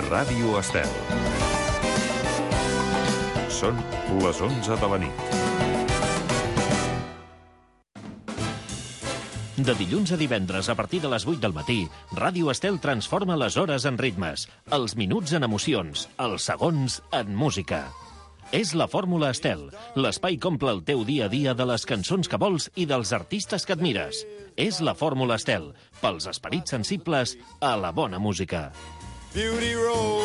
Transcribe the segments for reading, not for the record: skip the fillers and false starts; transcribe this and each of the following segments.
Ràdio Estel. Són les 11 de la nit. De dilluns a divendres, a partir de les 8 del matí, Ràdio Estel transforma les hores en ritmes, els minuts en emocions, els segons en música. És la Fórmula Estel, l'espai que omple el teu dia a dia de les cançons que vols i dels artistes que admires. És la Fórmula Estel, pels esperits sensibles a la bona música. Beauty Road.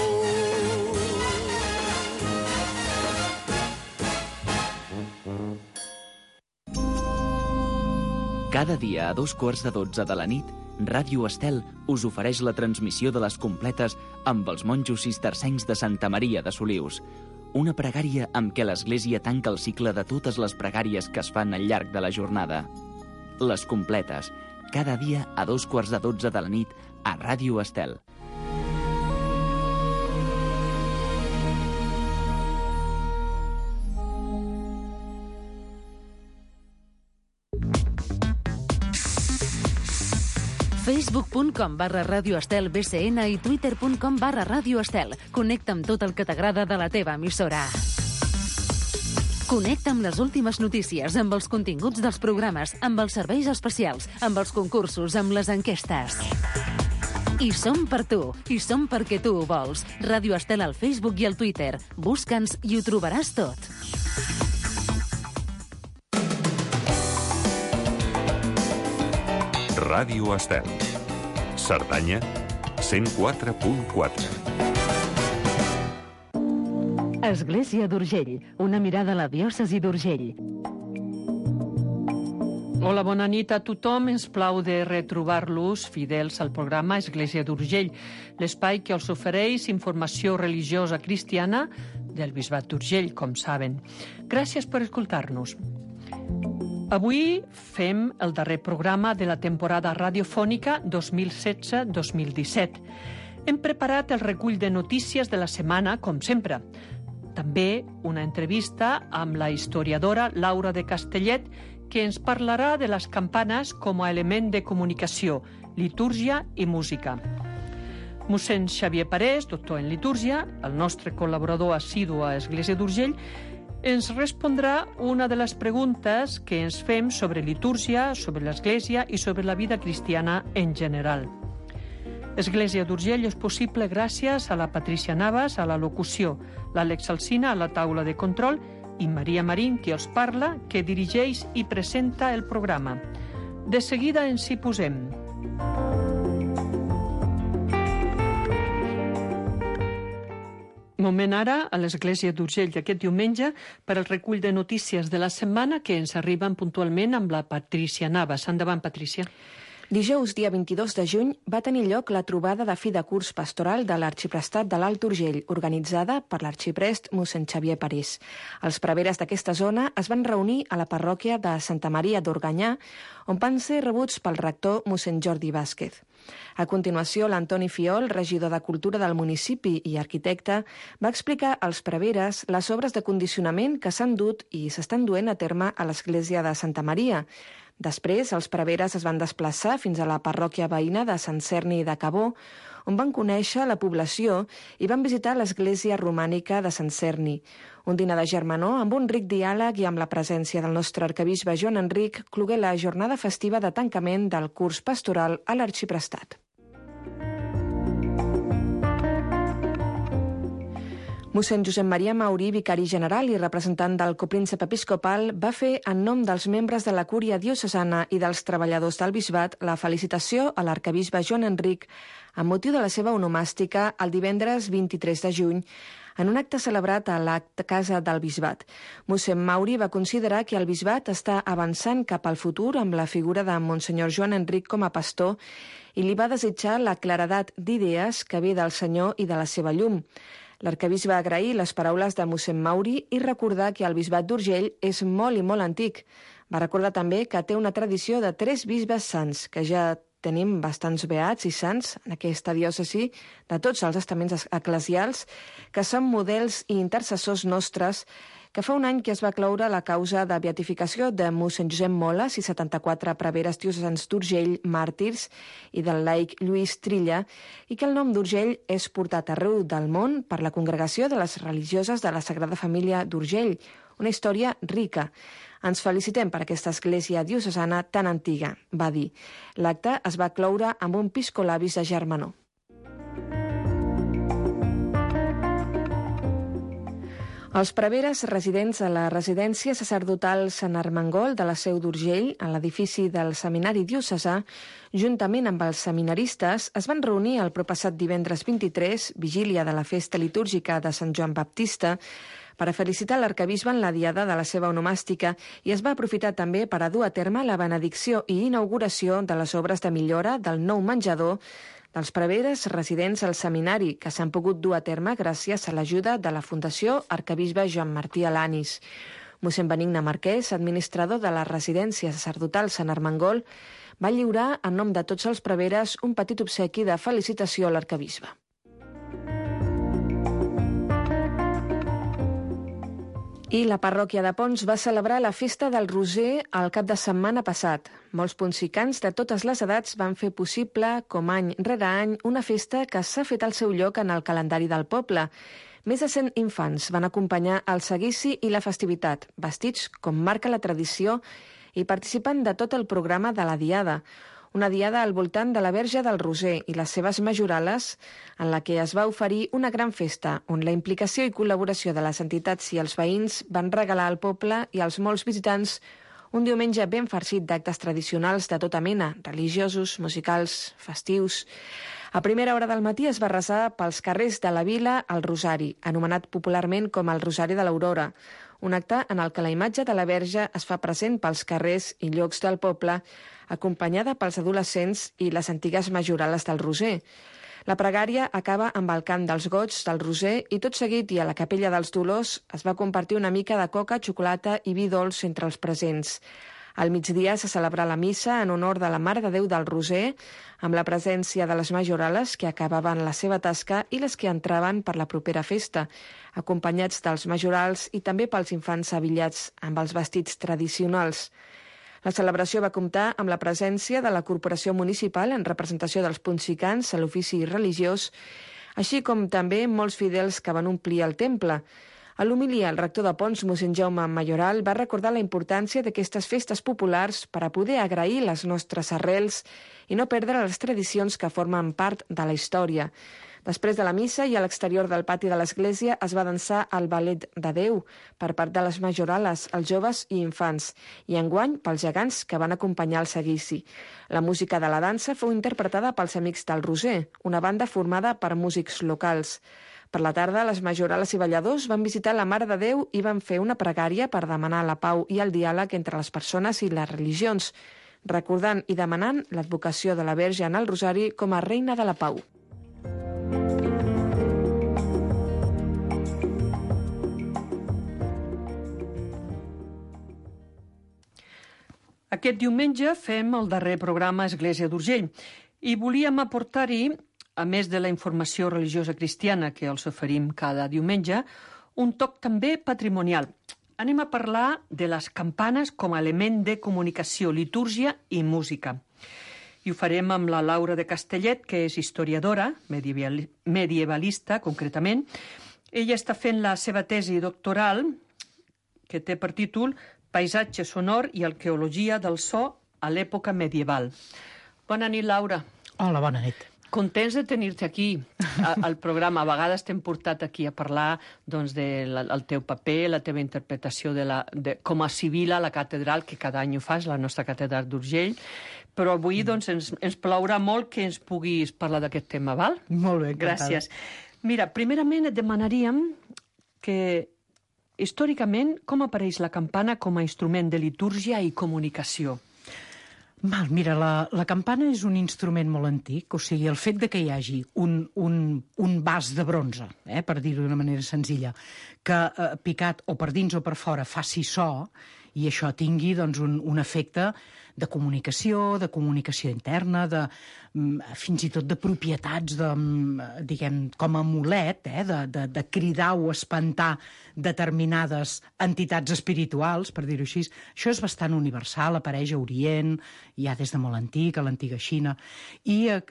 Cada dia a 2:15 de la nit, Ràdio Estel us ofereix la transmissió de les completes amb els monjos cistercencs de Santa Maria de Solius. Una pregària amb què l'Església tanca el cicle de totes les pregàries que es fan al llarg de la jornada. Les completes, cada dia a 2:15 de la nit a Ràdio Estel. Facebook.com/Ràdio Estel BCN i Twitter.com/Ràdio Estel. Connecta amb tot el que t'agrada de la teva emissora. Connecta amb les últimes notícies, amb els continguts dels programes, amb els serveis especials, amb els concursos, amb les enquestes. I som per tu, i som perquè tu ho vols. Ràdio Estel al Facebook i al Twitter. Busca'ns i ho trobaràs tot. Ràdio Estel. Cerdanya, 104.4. Església d'Urgell, una mirada a la diòcesi d'Urgell. Hola, bona nit a tothom. Ens plau de retrobar-los fidels al programa Església d'Urgell, l'espai que us ofereix informació religiosa cristiana del Bisbat d'Urgell, com saben. Gràcies per escoltar-nos. Avui fem el darrer programa de la temporada radiofònica 2016-2017. Hem preparat el recull de notícies de la setmana, com sempre. També una entrevista amb la historiadora Laura de Castellet, que ens parlarà de les campanes com a element de comunicació, litúrgia i música. Mossèn Xavier Parés, doctor en litúrgia, el nostre col·laborador assidu a Església d'Urgell, ens respondrà una de les preguntes que ens fem sobre litúrgia, sobre l'Església i sobre la vida cristiana en general. Església d'Urgell és possible gràcies a la Patrícia Navas, a la locució, l'Àlex Alsina a la taula de control i Maria Marín, qui els parla, que dirigeix i presenta el programa. De seguida ens hi posem. Moment ara a l'Església d'Urgell d'aquest diumenge per al recull de notícies de la setmana que ens arriben puntualment amb la Patrícia Navas. Endavant, Patrícia. Dijous, dia 22 de juny, va tenir lloc la trobada de fi de curs pastoral de l'Arxiprestat de l'Alt Urgell, organitzada per l'arxiprest mossèn Xavier Parés. Els preveres d'aquesta zona es van reunir a la parròquia de Santa Maria d'Organyà, on van ser rebuts pel rector mossèn Jordi Vázquez. A continuació, l'Antoni Fiol, regidor de Cultura del municipi i arquitecte, va explicar als preveres les obres de condicionament que s'han dut i s'estan duent a terme a l'església de Santa Maria. Després, els preveres es van desplaçar fins a la parròquia veïna de Sant Cerni de Cabó, on van conèixer la població i van visitar l'església romànica de Sant Cerni. Un dinar de germanor amb un ric diàleg i amb la presència del nostre arquebisbe Joan Enric clogué la jornada festiva de tancament del curs pastoral a l'Arxiprestat. Mossèn Josep Maria Maurí, vicari general i representant del copríncep episcopal, va fer, en nom dels membres de la cúria diocesana i dels treballadors del bisbat, la felicitació a l'arquebisbe Joan Enric amb motiu de la seva onomàstica el divendres 23 de juny, en un acte celebrat a la Casa del Bisbat. Mossèn Maurí va considerar que el bisbat està avançant cap al futur amb la figura de Monsenyor Joan Enric com a pastor i li va desitjar la claredat d'idees que ve del Senyor i de la seva llum. L'arquebisbe va agrair les paraules de mossèn Maurí i recordar que el bisbat d'Urgell és molt i molt antic. Va recordar també que té una tradició de 3 bisbes sants, que ja tenim bastants beats i sants en aquesta diòcesi de tots els estaments eclesials, que són models i intercessors nostres que fa un any que es va cloure la causa de beatificació de mossèn Josep Moles i 74 preveres diocesans d'Urgell, màrtirs, i del laic Lluís Trilla, i que el nom d'Urgell és portat arreu del món per la Congregació de les Religioses de la Sagrada Família d'Urgell, una història rica. Ens felicitem per aquesta església diocesana tan antiga, va dir. L'acte es va cloure amb un piscolabis de germanor. Els preveres residents a la residència sacerdotal Sant Armengol de la Seu d'Urgell, a l'edifici del Seminari Diocesà, juntament amb els seminaristes, es van reunir el proppassat divendres 23, vigília de la festa litúrgica de Sant Joan Baptista, per a felicitar l'arquebisbe en la diada de la seva onomàstica, i es va aprofitar també per a dur a terme la benedicció i inauguració de les obres de millora del nou menjador dels preveres residents al seminari, que s'han pogut dur a terme gràcies a l'ajuda de la Fundació Arquebisbe Joan Martí Alanis. Mossèn Benigne Marquès, administrador de la residència sacerdotal Sant Armengol, va lliurar, en nom de tots els preveres, un petit obsequi de felicitació a l'arquebisbe. I la parròquia de Ponts va celebrar la festa del Roser el cap de setmana passat. Molts ponsicans de totes les edats van fer possible, com any rere any, una festa que s'ha fet al seu lloc en el calendari del poble. Més de 100 infants van acompanyar el seguici i la festivitat, vestits com marca la tradició i participant de tot el programa de la Diada. Una diada al voltant de la Verge del Roser i les seves majorales, en la que es va oferir una gran festa, on la implicació i col·laboració de les entitats i els veïns van regalar al poble i als molts visitants un diumenge ben farcit d'actes tradicionals de tota mena, religiosos, musicals, festius. A primera hora del matí es va resar pels carrers de la vila el Rosari, anomenat popularment com el Rosari de l'Aurora, un acte en el que la imatge de la Verge es fa present pels carrers i llocs del poble, acompanyada pels adolescents i les antigues majorales del Roser. La pregària acaba amb el cant dels goigs del Roser i tot seguit i a la capella dels Dolors es va compartir una mica de coca, xocolata i vi dolç entre els presents. Al migdia se celebra la missa en honor de la Mare de Déu del Roser, amb la presència de les majorales que acabaven la seva tasca i les que entraven per la propera festa, acompanyats dels majorals i també pels infants avillats amb els vestits tradicionals. La celebració va comptar amb la presència de la Corporació Municipal en representació dels ponsicans a l'ofici religiós, així com també molts fidels que van omplir el temple. A l'homilia, el rector de Ponts, mossèn Jaume Mayoral, va recordar la importància d'aquestes festes populars per a poder agrair les nostres arrels i no perdre les tradicions que formen part de la història. Després de la missa i a l'exterior del pati de l'església es va dansar el ballet de Déu per part de les majorales, els joves i infants, i enguany pels gegants que van acompanyar el seguici. La música de la dansa fou interpretada pels Amics del Roser, una banda formada per músics locals. Per la tarda, les majorales i balladors van visitar la Mare de Déu i van fer una pregària per demanar la pau i el diàleg entre les persones i les religions, recordant i demanant l'advocació de la Verge en el Rosari com a reina de la pau. Aquest diumenge fem el darrer programa Església d'Urgell i volíem aportar-hi, a més de la informació religiosa cristiana que els oferim cada diumenge, un toc també patrimonial. Anem a parlar de les campanes com a element de comunicació, litúrgia i música. I ho farem amb la Laura de Castellet, que és historiadora, medievalista concretament. Ella està fent la seva tesi doctoral, que té per títol Paisatge sonor i arqueologia del so a l'època medieval. Bona nit, Laura. Hola, bona nit. Contents de tenir-te aquí al programa. A vegades t'hem portat aquí a parlar doncs, del teu paper, la teva interpretació com a civil a la catedral, que cada any ho fas, la nostra catedral d'Urgell. Però avui doncs, ens plaurà molt que ens puguis parlar d'aquest tema, val? Molt bé, encantada. Gràcies. Mira, primerament et demanaríem que històricament, com apareix la campana com a instrument de litúrgia i comunicació? Mira, la campana és un instrument molt antic, o sigui, el fet de que hi hagi un vas de bronze, per dir-ho d'una manera senzilla, que picat o per dins o per fora faci so, i això tingui doncs, un efecte de comunicació interna, fins i tot de propietats, diguem, com a amulet, de cridar o espantar determinades entitats espirituals, per dir-ho així. Això és bastant universal, apareix a Orient, ja des de molt antic, a l'antiga Xina, i a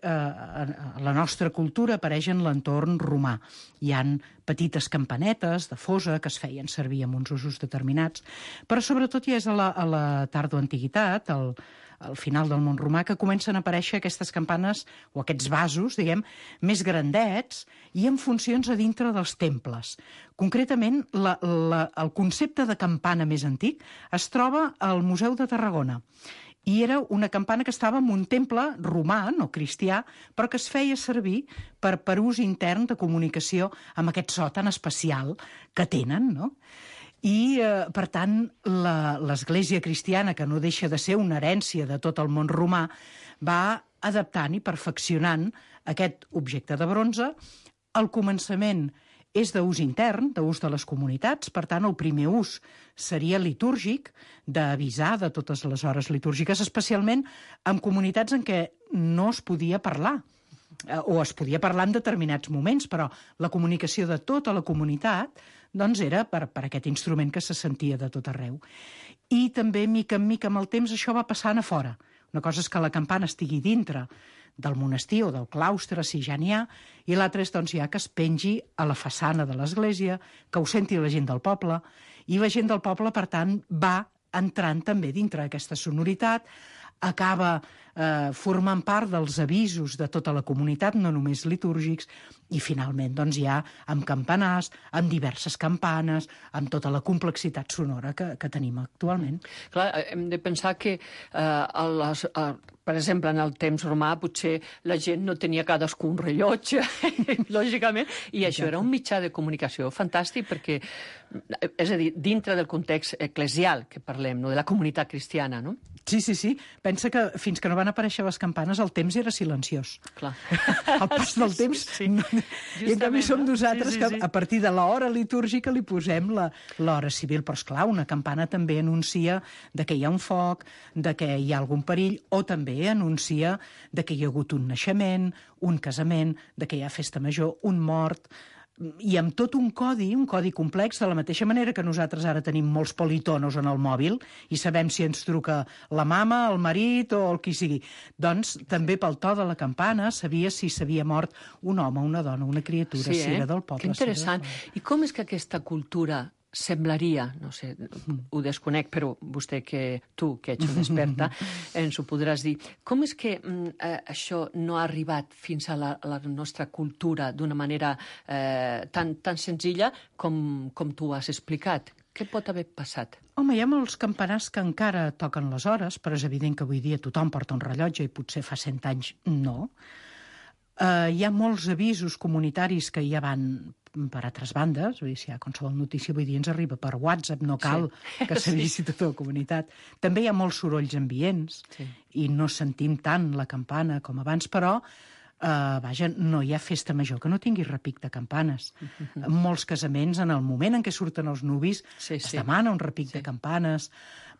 la nostra cultura apareix en l'entorn romà. Hi han petites campanetes de fosa que es feien servir amb uns usos determinats, però sobretot ja és a la tardoantiguitat, al final del món romà, que comencen a aparèixer aquestes campanes o aquests vasos, diguem, més grandets i amb funcions a dintre dels temples. Concretament, el concepte de campana més antic es troba al Museu de Tarragona. I era una campana que estava en un temple romà, no cristià, però que es feia servir per ús intern de comunicació amb aquest so tan especial que tenen, no? I, per tant, l'Església cristiana, que no deixa de ser una herència de tot el món romà, va adaptant i perfeccionant aquest objecte de bronze. Al començament és d'ús intern, d'ús de les comunitats, per tant, el primer ús seria litúrgic, d'avisar de totes les hores litúrgiques, especialment en comunitats en què no es podia parlar, o es podia parlar en determinats moments, però la comunicació de tota la comunitat doncs era per aquest instrument que se sentia de tot arreu. I també, mica en mica, amb el temps, això va passant a fora. Una cosa és que la campana estigui dintre del monestir o del claustre, si ja n'hi ha, i l'altra és doncs, ja que es pengi a la façana de l'església, que ho senti la gent del poble, i la gent del poble, per tant, va entrant també dintre d'aquesta sonoritat, acaba formant part dels avisos de tota la comunitat, no només litúrgics, i finalment doncs, ja amb campanars, amb diverses campanes, amb tota la complexitat sonora que tenim actualment. Clar, hem de pensar que, per exemple, en el temps romà potser la gent no tenia cadascú un rellotge, lògicament, i això era un mitjà de comunicació fantàstic perquè, és a dir, dintre del context eclesial que parlem, no? De la comunitat cristiana, no? Sí. Pensa que fins que no van aparèixer les campanes el temps era silenciós. Clar. El pas del temps... Sí. I en canvi som nosaltres que a partir de l'hora litúrgica li posem l'hora civil. Però, esclar, una campana també anuncia de que hi ha un foc, de que hi ha algun perill, o també anuncia de que hi ha hagut un naixement, un casament, de que hi ha festa major, un mort... I amb tot un codi complex, de la mateixa manera que nosaltres ara tenim molts politonos en el mòbil i sabem si ens truca la mama, el marit o el qui sigui. Doncs també pel to de la campana sabia si s'havia mort un home, una dona, una criatura, si era del poble. Que interessant. I com és que aquesta cultura semblaria, no sé, ho desconec, però vostè, tu, que ets una experta, ens ho podràs dir. Com és que això no ha arribat fins a la nostra cultura d'una manera tan senzilla com tu has explicat? Què pot haver passat? Home, hi ha molts campanars que encara toquen les hores, però és evident que avui dia tothom porta un rellotge i potser fa 100 anys no. Hi ha molts avisos comunitaris que ja van per altres bandes, vull dir, si hi ha qualsevol notícia avui dia ens arriba per WhatsApp, no cal que s'avisi tota la comunitat. També hi ha molts sorolls ambients i no sentim tant la campana com abans, però vaja, no hi ha festa major que no tingui repic de campanes. En molts casaments, en el moment en què surten els nuvis, es demana un repic de campanes.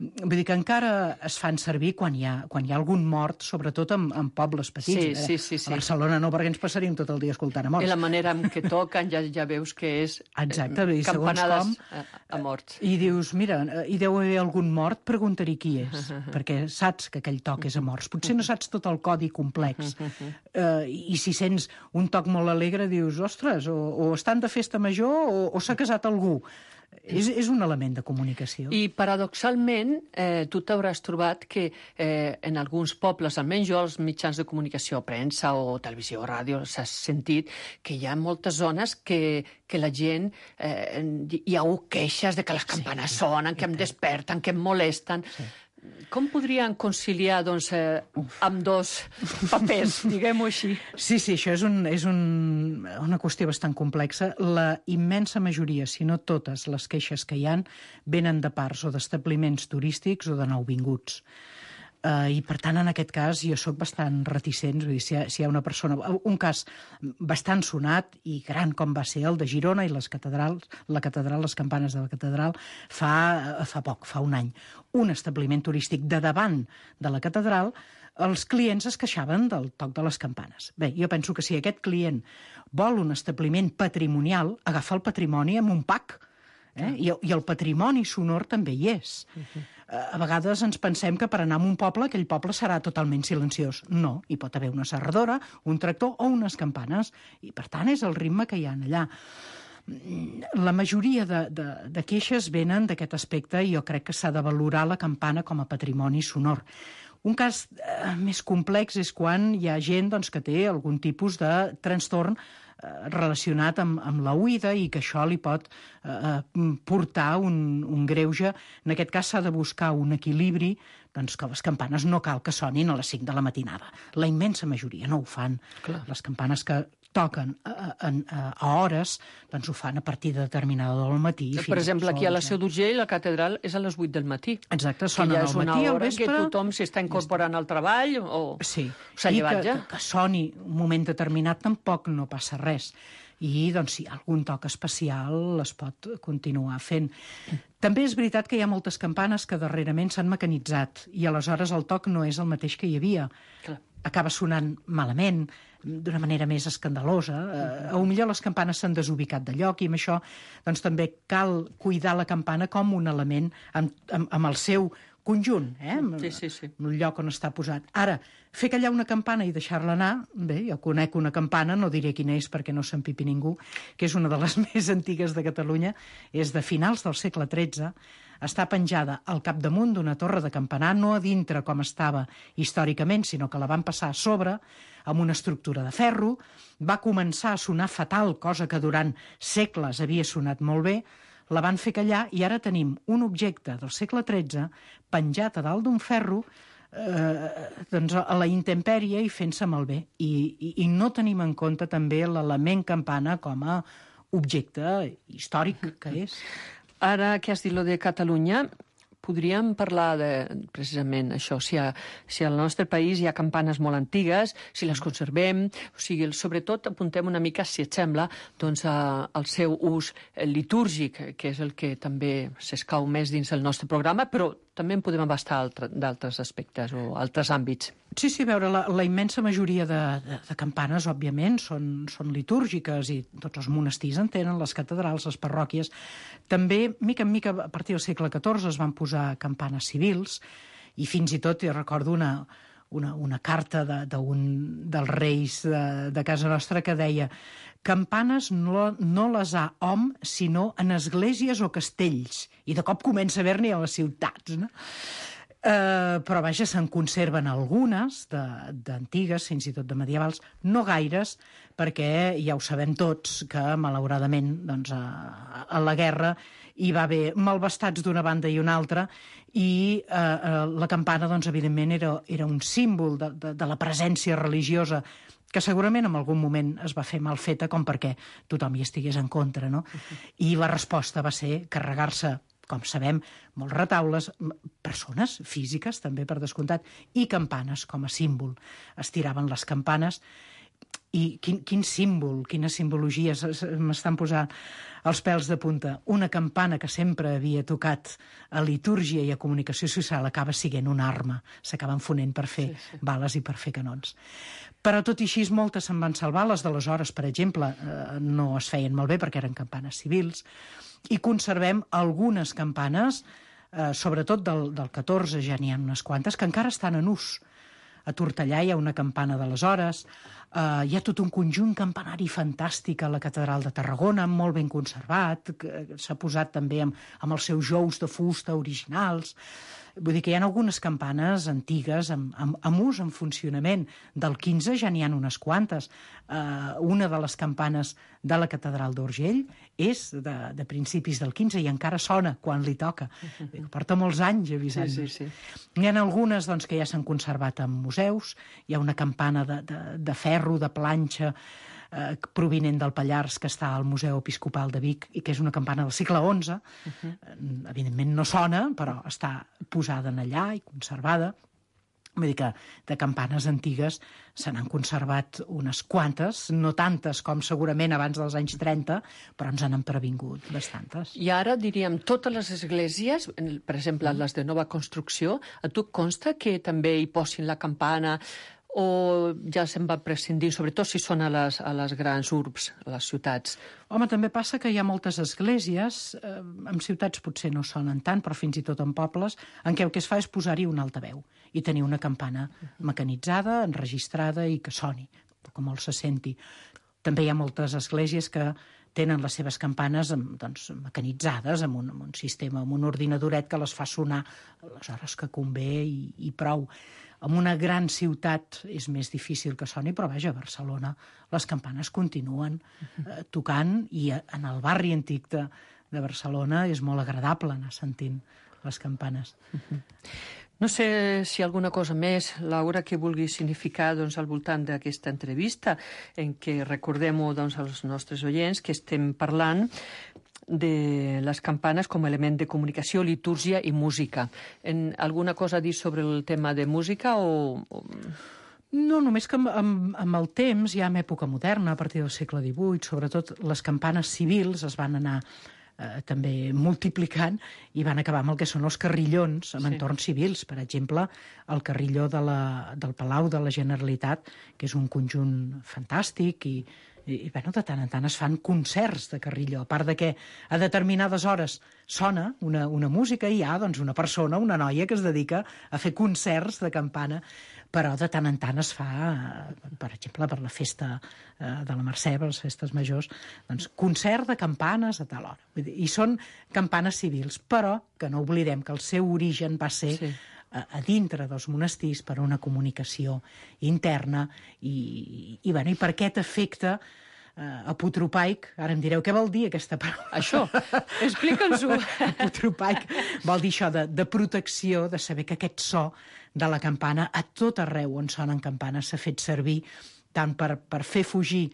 Vull dir que encara es fan servir quan hi ha algun mort, sobretot en pobles petits. Sí. A Barcelona no, perquè ens passaríem tot el dia escoltant a morts. I la manera en què toquen ja veus que és campanades a morts. I dius, mira, hi deu haver algun mort, preguntaré qui és, perquè saps que aquell toc és a morts. Potser no saps tot el codi complex. I si sents un toc molt alegre, dius, ostres, o estan de festa major o s'ha casat algú. És un element de comunicació. I paradoxalment, tu t'hauràs trobat que en alguns pobles, almenys jo, els mitjans de comunicació, premsa o televisió o ràdio, s'ha sentit que hi ha moltes zones que la gent... hi ha queixes de que les campanes sonen, que em desperten, que em molesten... Com podrien conciliar, doncs, amb dos papers, diguem-ho així? Sí, això és una qüestió bastant complexa. La immensa majoria, si no totes les queixes que hi ha, venen de parts o d'establiments turístics o de nouvinguts. I, per tant, en aquest cas, jo sóc bastant reticent. Vull dir, si hi ha una persona... Un cas bastant sonat i gran com va ser el de Girona i les catedrals, les campanes de la catedral, fa poc, fa un any. Un establiment turístic de davant de la catedral, els clients es queixaven del toc de les campanes. Bé, jo penso que si aquest client vol un establiment patrimonial, agafa el patrimoni amb un pack. I el patrimoni sonor també hi és. A vegades ens pensem que per anar a un poble, aquell poble serà totalment silenciós. No, hi pot haver una serradora, un tractor o unes campanes, i per tant és el ritme que hi ha allà. La majoria de queixes venen d'aquest aspecte i jo crec que s'ha de valorar la campana com a patrimoni sonor. Un cas més complex és quan hi ha gent que té algun tipus de trastorn relacionat amb la oïda i que això li pot portar un greuge. En aquest cas s'ha de buscar un equilibri, que les campanes no cal que sonin a les 5 de la matinada. La immensa majoria no ho fan. Clar. Les campanes que toquen a hores, ho fan a partir de determinada hora del matí. Per exemple, aquí a la Seu d'Urgell, la catedral és a les 8 del matí. Exacte, sonen al matí, al vespre. Que tothom s'està incorporant al treball o s'ha llevat ja. Que soni un moment determinat tampoc no passa res. I, si hi ha algun toc especial, es pot continuar fent. També és veritat que hi ha moltes campanes que darrerament s'han mecanitzat i aleshores el toc no és el mateix que hi havia. Clar. Acaba sonant malament, d'una manera més escandalosa. Potser les campanes s'han desubicat de lloc i amb això també cal cuidar la campana com un element amb el seu conjunt, Sí. en el lloc on està posat. Ara, fer callar una campana i deixar-la anar, bé, jo conec una campana, no diré quina és perquè no s'empipi ningú, que és una de les més antigues de Catalunya, és de finals del segle XIII, està penjada al capdamunt d'una torre de campanar, no a dintre com estava històricament, sinó que la van passar a sobre, amb una estructura de ferro, va començar a sonar fatal, cosa que durant segles havia sonat molt bé, la van fer callar i ara tenim un objecte del segle XIII penjat a dalt d'un ferro a la intempèrie i fent-se malbé. I no tenim en compte també l'element campana com a objecte històric que és. Ara que has dit lo de Catalunya, podríem parlar de, precisament, això, si al nostre país hi ha campanes molt antigues, si les conservem, sobretot apuntem una mica, si et sembla, al seu ús litúrgic, que és el que també s'escau més dins el nostre programa, però també en podem abastar d'altres aspectes o altres àmbits. Sí, a veure, la immensa majoria de campanes, òbviament, són litúrgiques i tots els monestirs en tenen, les catedrals, les parròquies. També, mica en mica, a partir del segle XIV es van posar campanes civils i fins i tot, jo recordo una carta dels reis de casa nostra que deia campanes no les ha hom sinó en esglésies o castells. I de cop comença a haver-n'hi a les ciutats, no? Però vaja, se'n conserven algunes d'antigues, fins i tot de medievals, no gaires, perquè ja ho sabem tots que malauradament a la guerra hi va haver malvestats d'una banda i una altra i la campana evidentment era un símbol de la presència religiosa que segurament en algun moment es va fer mal feta com perquè tothom hi estigués en contra, no? I la resposta va ser carregar-se, com sabem, molts retaules, persones físiques, també per descomptat, i campanes com a símbol. Es tiraven les campanes i quin símbol, quina simbologia, m'estan posant els pèls de punta. Una campana que sempre havia tocat a litúrgia i a comunicació social acaba sent una arma, s'acaben fonent per fer bales i per fer canons. Però tot i així moltes se'n van salvar, les d'aleshores, per exemple, no es feien malbé perquè eren campanes civils, i conservem algunes campanes, sobretot del 14 ja n'hi ha unes quantes, que encara estan en ús. A Tortellà hi ha una campana d'aleshores, hi ha tot un conjunt campanari fantàstic a la Catedral de Tarragona, molt ben conservat, que s'ha posat també amb els seus jous de fusta originals. Vull dir que hi ha algunes campanes antigues amb ús, en funcionament. Del 15 ja n'hi ha unes quantes. Una de les campanes de la Catedral d'Urgell és de principis del 15 i encara sona quan li toca. Porta molts anys avisant-nos. N'hi ha algunes que ja s'han conservat en museus. Hi ha una campana de ferro, de planxa, provinent del Pallars, que està al Museu Episcopal de Vic i que és una campana del segle XI. Evidentment no sona, però està posada allà i conservada. Vull dir que de campanes antigues se n'han conservat unes quantes, no tantes com segurament abans dels anys 30, però ens han previngut bastantes. I ara, diríem, totes les esglésies, per exemple, les de nova construcció, a tu consta que també hi posin la campana o ja se'n va prescindir, sobretot si són a les grans urbs, a les ciutats? Home, també passa que hi ha moltes esglésies, en ciutats potser no sonen tant, però fins i tot en pobles, en què el que es fa és posar-hi un altaveu i tenir una campana mecanitzada, enregistrada i que soni, com molt se senti. També hi ha moltes esglésies que tenen les seves campanes mecanitzades amb un sistema, amb un ordinadoret que les fa sonar a les hores que convé i prou. En una gran ciutat és més difícil que soni, però vaja, a Barcelona les campanes continuen tocant i en el barri antic de Barcelona és molt agradable anar sentint les campanes. No sé si alguna cosa més, Laura, que vulgui significar al voltant d'aquesta entrevista, en què recordem als nostres oients que estem parlant de les campanes com a element de comunicació, litúrgia i música. Alguna cosa a dir sobre el tema de música o...? No, només que amb el temps, ja en època moderna, a partir del segle XVIII, sobretot les campanes civils es van anar també multiplicant i van acabar amb el que són els carrillons en entorns civils. Per exemple, el carrilló del Palau de la Generalitat, que és un conjunt fantàstic i bueno, de tant en tant es fan concerts de carrilló, a part de que a determinades hores sona una música i hi ha una persona, una noia que es dedica a fer concerts de campana, però de tant en tant es fa, per exemple, per la festa de la Mercè, per les festes majors, concert de campanes a tal hora. I són campanes civils, però que no oblidem que el seu origen va ser a dintre dels monestirs per una comunicació interna i per aquest efecte apotropaic. Ara em direu, què vol dir aquesta paraula? Això, explica'ns-ho. Apotropaic vol dir això de protecció, de saber que aquest so de la campana a tot arreu on sonen campanes s'ha fet servir tant per fer fugir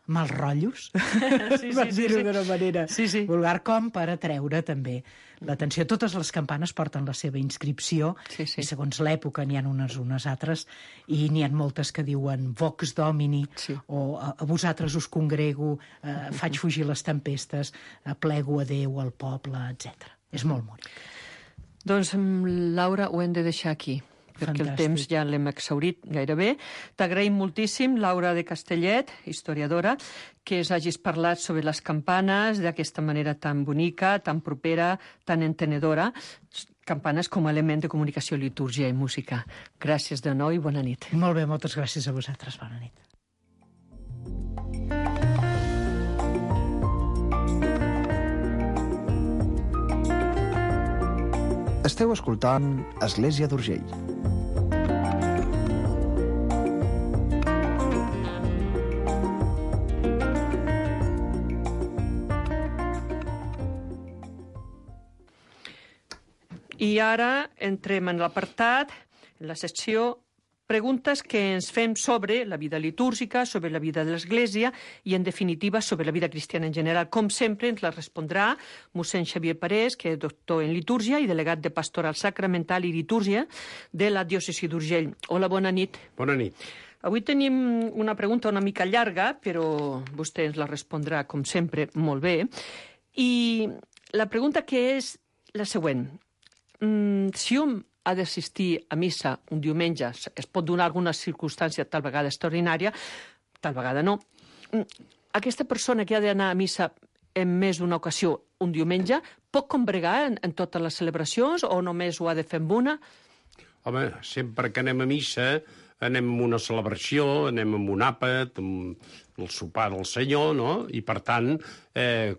mals rotllos, per dir-ho d'una manera vulgar, com per atreure també l'atenció. Totes les campanes porten la seva inscripció i segons l'època n'hi ha unes altres i n'hi ha moltes que diuen Vox Domini o a vosaltres us congrego, faig fugir les tempestes, plego a Déu, al poble, etc. És molt bonic. Doncs, Laura, ho hem de deixar aquí, perquè el temps ja l'hem exhaurit gairebé. T'agraïm moltíssim, Laura de Castellet, historiadora, que ens hagis parlat sobre les campanes d'aquesta manera tan bonica, tan propera, tan entenedora, campanes com a element de comunicació, litúrgia i música. Gràcies de nou i bona nit. Molt bé, moltes gràcies a vosaltres. Bona nit. Esteu escoltant Església d'Urgell. I ara entrem en l'apartat, en la secció preguntes que ens fem sobre la vida litúrgica, sobre la vida de l'Església i, en definitiva, sobre la vida cristiana en general. Com sempre, ens la respondrà mossèn Xavier Parés, que és doctor en litúrgia i delegat de Pastoral Sacramental i Litúrgia de la diòcesi d'Urgell. Hola, bona nit. Bona nit. Avui tenim una pregunta una mica llarga, però vostè ens la respondrà, com sempre, molt bé. I la pregunta que és la següent. Si un ha d'assistir a missa un diumenge, es pot donar alguna circumstància tal vegada extraordinària, tal vegada no. Aquesta persona que ha d'anar a missa en més d'una ocasió un diumenge, pot combregar en totes les celebracions o només ho ha de fer amb una? Home, sempre que anem a missa anem a una celebració, anem amb un àpat, amb el sopar del Senyor, no? I per tant,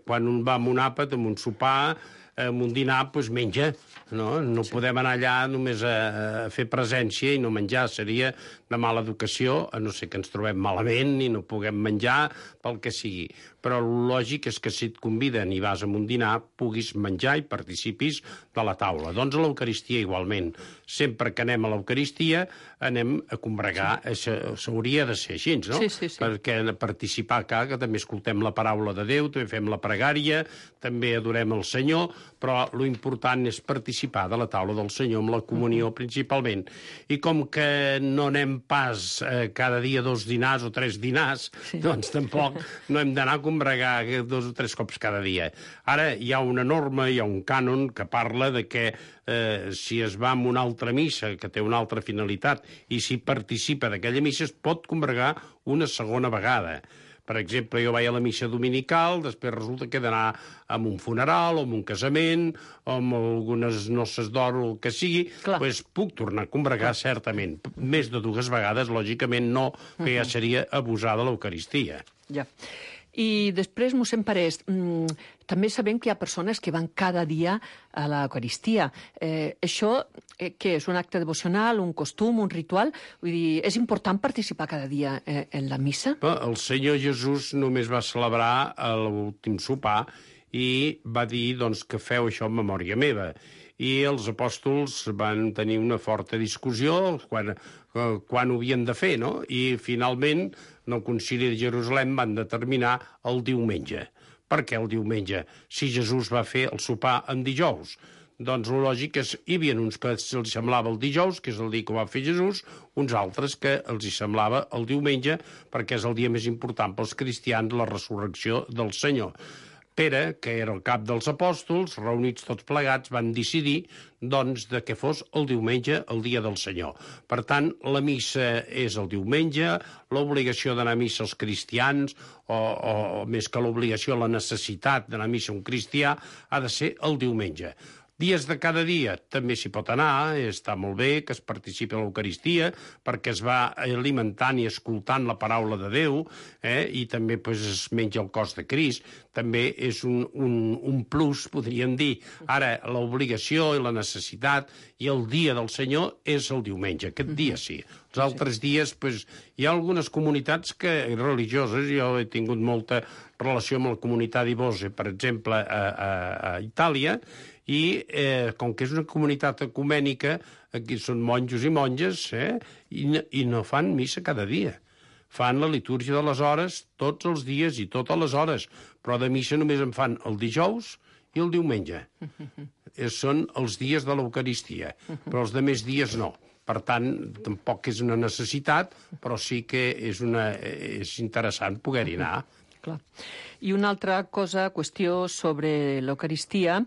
quan un va amb un àpat, amb un sopar, amb un dinar, doncs menja. No podem anar allà només a fer presència i no menjar. Seria de mala educació, a no ser que ens trobem malament i no puguem menjar pel que sigui. Però el lògic és que si et conviden i vas a un dinar, puguis menjar i participis de la taula. Doncs a l'Eucaristia igualment. Sempre que anem a l'Eucaristia anem a combregar. S'hauria de ser així, no? Sí. Perquè participar que també escoltem la paraula de Déu, també fem la pregària, també adorem el Senyor. però lo important és participar de la taula del Senyor amb la comunió principalment. I com que no anem pas cada dia 2 dinars o 3 dinars, doncs tampoc no hem d'anar a combregar 2 o 3 cops cada dia. Ara hi ha una norma, hi ha un cànon que parla de que si es va a una altra missa que té una altra finalitat i si participa d'aquella missa es pot combregar una segona vegada. Per exemple, jo vaig a la missa dominical, després resulta que he d'anar a un funeral o a un casament o amb algunes noces d'or o el que sigui, doncs puc tornar a combregar certament. Més de 2 vegades, lògicament no, que ja seria abusar de l'Eucaristia. Ja. I després, mossèn Parés, també sabem que hi ha persones que van cada dia a l'Eucaristia. Això, què és? Un acte devocional, un costum, un ritual? Vull dir, és important participar cada dia en la missa? El Senyor Jesús només va celebrar l'últim sopar i va dir doncs, que feu això en memòria meva. I els apòstols van tenir una forta discussió quan ho havien de fer, no? I finalment, en el Concili de Jerusalem van determinar el diumenge. Per què el diumenge? Si Jesús va fer el sopar en dijous. Doncs el lògic és hi havia uns que els semblava el dijous, que és el dia que ho va fer Jesús, uns altres que els hi semblava el diumenge, perquè és el dia més important pels cristians, la resurrecció del Senyor. Pere, que era el cap dels apòstols, reunits tots plegats, van decidir doncs, de que fos el diumenge, el dia del Senyor. Per tant, la missa és el diumenge, l'obligació d'anar a missa als cristians, o més que l'obligació, la necessitat d'anar a missa a un cristià, ha de ser el diumenge. Dies de cada dia també s'hi pot anar, està molt bé que es participi a l'Eucaristia, perquè es va alimentant i escoltant la paraula de Déu, i també es menja el cos de Crist. També és un plus, podríem dir. Ara, l'obligació i la necessitat i el dia del Senyor és el diumenge, aquest dia sí. Els altres dies, hi ha algunes comunitats religioses, jo he tingut molta relació amb la comunitat d'Ibose, per exemple, a Itàlia, i com que és una comunitat ecumènica, aquí són monjos i monges, i no fan missa cada dia. Fan la litúrgia de les hores tots els dies i totes les hores, però de missa només en fan el dijous i el diumenge. Són els dies de l'Eucaristia, però els demés dies no. Per tant, tampoc és una necessitat, però sí que és interessant poder-hi anar. Clar. I una altra qüestió sobre l'Eucaristia,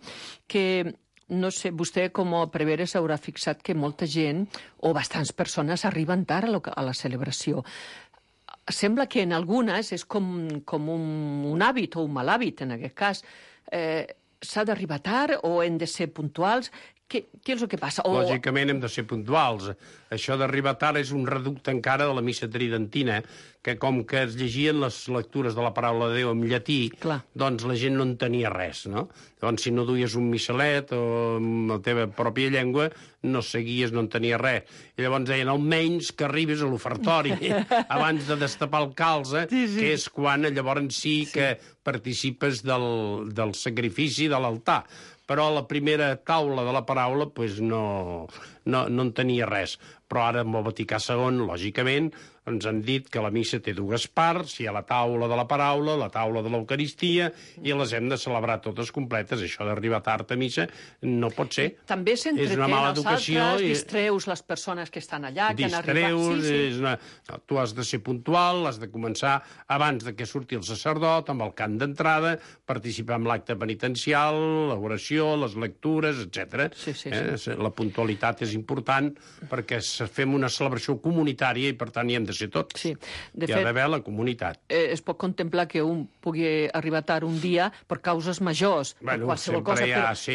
que, no sé, vostè com a prevere s'haurà fixat que molta gent, o bastants persones, arriben tard a la celebració. Sembla que en algunes és com un hàbit o un mal hàbit, en aquest cas. S'ha d'arribar tard o hem de ser puntuals? Què és el que passa? Lògicament hem de ser puntuals. Això d'arribar tard és un reducte encara de la missa tridentina, que com que es llegien les lectures de la paraula de Déu en llatí, doncs la gent no entenia res, no? Doncs si no duies un missalet o amb la teva pròpia llengua, no seguies, no entenies res. I llavors deien, almenys que arribis a l'ofertori abans de destapar el calze, que és quan llavors sí que participes del sacrifici de l'altar. Però a la primera taula de la paraula no entenia res. Però ara amb el Vaticà II, lògicament, ens han dit que la missa té 2 parts, hi ha la taula de la paraula, la taula de l'Eucaristia, i les hem de celebrar totes completes. Això d'arribar tard a missa no pot ser. També s'entretén els altres, distreus les persones que estan allà, que han arribat. Tu has de ser puntual, has de començar abans de que surti el sacerdot, amb el cant d'entrada, participar en l'acte penitencial, l'oració, les lectures, etc. La puntualitat és important perquè fem una celebració comunitària i, per tant, hi hem de ser tots. Sí. Hi ha d'haver la comunitat. Es pot contemplar que un pugui arribar tard un dia per causes majors, per qualsevol cosa,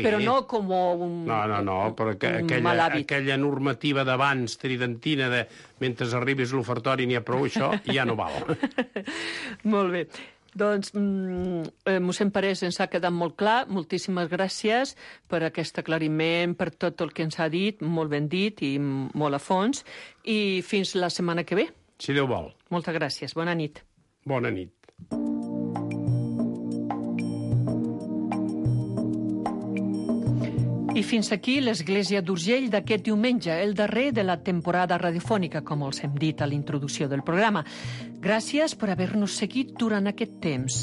però no com un mal hàbit. Aquella normativa d'abans, tridentina, de mentre arribis a l'ofertori n'hi ha prou, això ja no val. Molt bé. Doncs, mossèn Parés, ens ha quedat molt clar. Moltíssimes gràcies per aquest aclariment, per tot el que ens ha dit, molt ben dit i molt a fons. I fins la setmana que ve. Si Déu vol. Moltes gràcies. Bona nit. Bona nit. I fins aquí l'Església d'Urgell d'aquest diumenge, el darrer de la temporada radiofònica, com els hem dit a l'introducció del programa. Gràcies per haver-nos seguit durant aquest temps.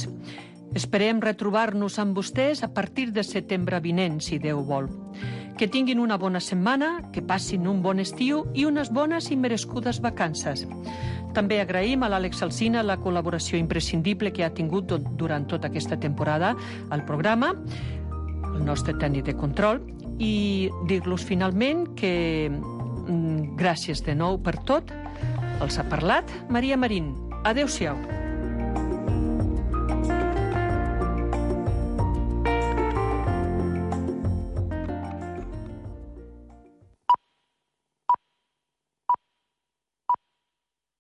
Esperem retrobar-nos amb vostès a partir de setembre vinent, si Déu vol. Que tinguin una bona setmana, que passin un bon estiu i unes bones i merescudes vacances. També agraïm a l'Àlex Alsina la col·laboració imprescindible que ha tingut durant tota aquesta temporada al programa, el nostre tècnic de control, i dir-los finalment que gràcies de nou per tot. Els ha parlat Maria Marín. Adéu-siau.